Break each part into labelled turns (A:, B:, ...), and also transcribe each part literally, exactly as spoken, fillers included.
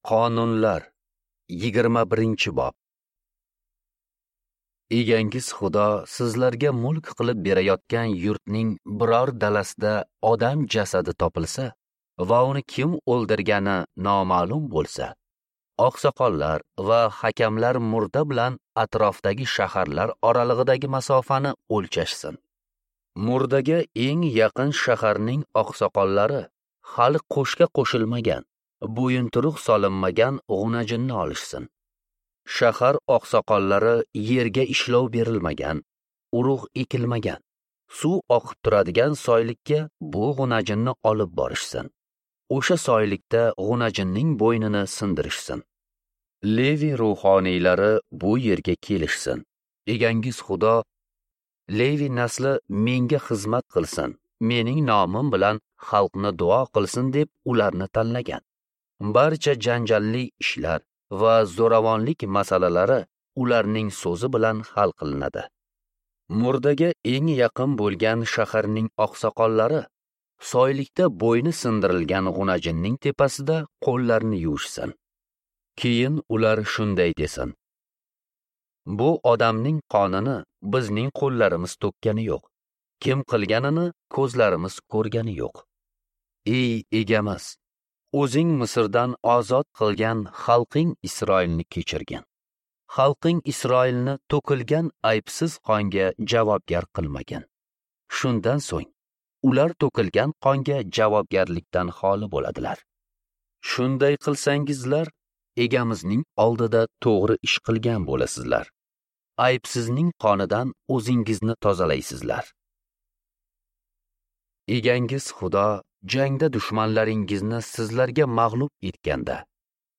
A: Qonunlar yigirma birinchi bob. Egangiz Xudo sizlarga mulk qilib berayotgan yurtning biror dalasida odam jasadi topilsa va uni kim o'ldirgani noma'lum bo'lsa, oqsoqollar va hakamlar murda bilan atrofdagi shaharlar oralig'idagi masofani o'lchashsin. Murdaga eng yaqin shaharning oqsoqollari hali qo'shga qo'shilmagan, bo'yinturuq solinmagan g'unajinni olishsin. Shahar oqsoqollari yerga ishlov berilmagan, urug' ekilmagan, suv oqib turadigan soylikka bu g'unajinni olib borishsin. O'sha soylikda g'unajinning bo'ynini sindirishsin. Levi ruhoniylari bu yerga kelishsin. Egangiz Xudo Levi nasli menga xizmat qilsin, mening nomim bilan xalqni duo qilsin deb ularni tanlagan. Barcha janjalli ishlar va zo'ravonlik masalalari ularning so'zi bilan hal qilinadi. Murdaga eng yaqin bo'lgan shaharning oqsoqollari soylikda bo'yni sindirilgan g'unajinning tepasida qo'llarini yuvishsin. Keyin ular shunday desin: bu odamning qonini bizning qo'llarimiz to'kkani yo'q, kim qilganini ko'zlarimiz ko'rgani yo'q. Ey egamiz, o'zing Misrdan ozod qilgan xalqing Isroilni kechirgin. Xalqing Isroilni to'kilgan aybsiz qonga javobgar qilmagin. Shundan so'ng ular to'kilgan qonga javobgarlikdan xoli bo'ladilar. Shunday qilsangizlar, egamizning oldida to'g'ri ish qilgan bo'lasizlar. Aybsizning qonidan o'zingizni tozalaysizlar. Egangiz Xudo jangda dushmanlaringizni sizlarga mag'lub etganda,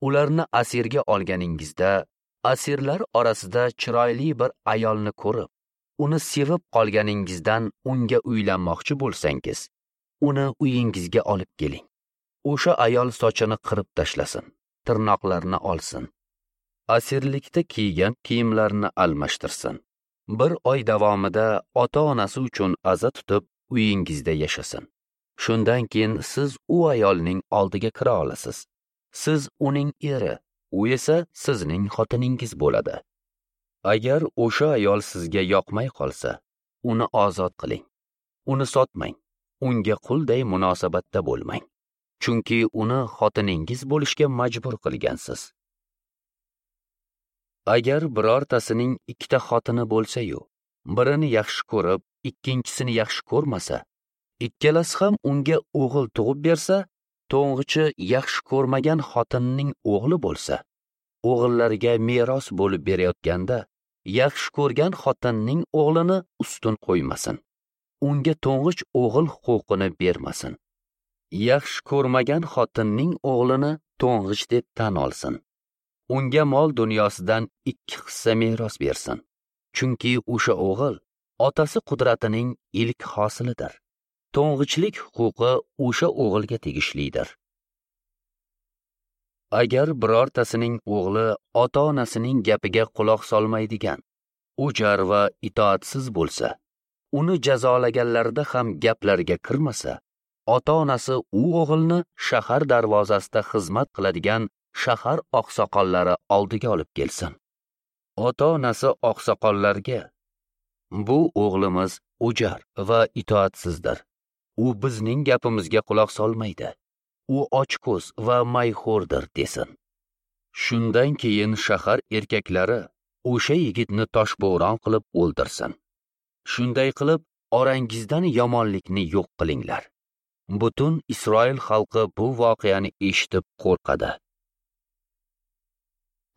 A: ularni asirga olganingizda, asirlar orasida chiroyli bir ayolni ko'rib, uni sevib qolganingizdan unga uylanmoqchi bo'lsangiz, uni uyingizga olib keling. O'sha ayol sochini qirib tashlasin, tirnoqlarini olsin, asirlikda kiygan kiyimlarini almashtirsin. Bir oy davomida ota-onasi uchun aza tutib uyingizda yashasin. Shundan keyin siz u ayolning oldiga kira olasiz. Siz uning eri, u esa sizning xotiningiz bo'ladi. Agar o'sha ayol sizga yoqmay qolsa, uni ozod qiling. Uni sotmang, unga qulday munosabatda bo'lmang. Chunki uni xotiningiz bo'lishga majbur qilgansiz. Agar birortasining ikkita xotini bo'lsa-yu, birini yaxshi ko'rib, ikkinchisini yaxshi ko'rmasa, ikkalasi ham unga o'g'il tug'ib bersa, to'ng'ichi yaxshi ko'rmagan xotinning o'g'li bo'lsa, o'g'illariga meros bo'lib berayotganda, yaxshi ko'rgan xotinning o'g'lini ustun qo'ymasin. Unga to'ng'ich o'g'il huquqini bermasin. Yaxshi ko'rmagan xotinning o'g'lini to'ng'ich deb tan olsin. Unga mol dunyosidan ikki hissa meros bersin. Chunki o'sha o'g'il otasi qudratining ilk hosilidir. To'ng'ichlik huquqi o'sha o'g'ilga tegishlidir. Agar birortasining o'g'li ota-onasining gapiga quloq solmaydigan, o'jar va itoatsiz bo'lsa, uni jazolaganlarida ham gaplariga kirmasa, ota-onasi u o'g'ilni shahar darvozasida xizmat qiladigan shahar oqsoqollari oldiga olib kelsin. Ota-onasi oqsoqollarga: bu o'g'limiz o'jar va itoatsizdir. U bizning gapimizga quloq solmaydi. U ochko'z va mayxo'rdir desin. Shundan keyin shahar erkaklari o'sha yigitni toshbo'ron qilib o'ldirsin. Shunday qilib orangizdan yomonlikni yo'q qilinglar. Butun Isroil xalqi bu voqeani eshitib qo'rqadi.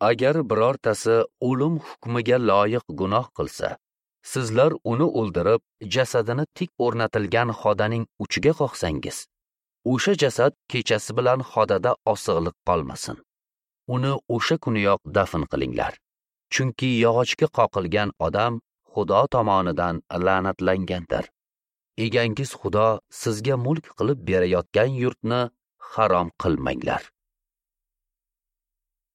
A: Agar birortasi o'lim hukmiga loyiq gunoh qilsa, sizlar uni o'ldirib, jasadini tik o'rnatilgan xodaning uchiga qoqsangiz, o'sha jasad kechasi bilan xodada osig'liq qolmasin. Uni o'sha kuniyoq dafn qilinglar. Chunki yog'ochga qoqilgan odam Xudo tomonidan la'natlangandir. Egangiz Xudo sizga mulk qilib berayotgan yurtni harom qilmanglar.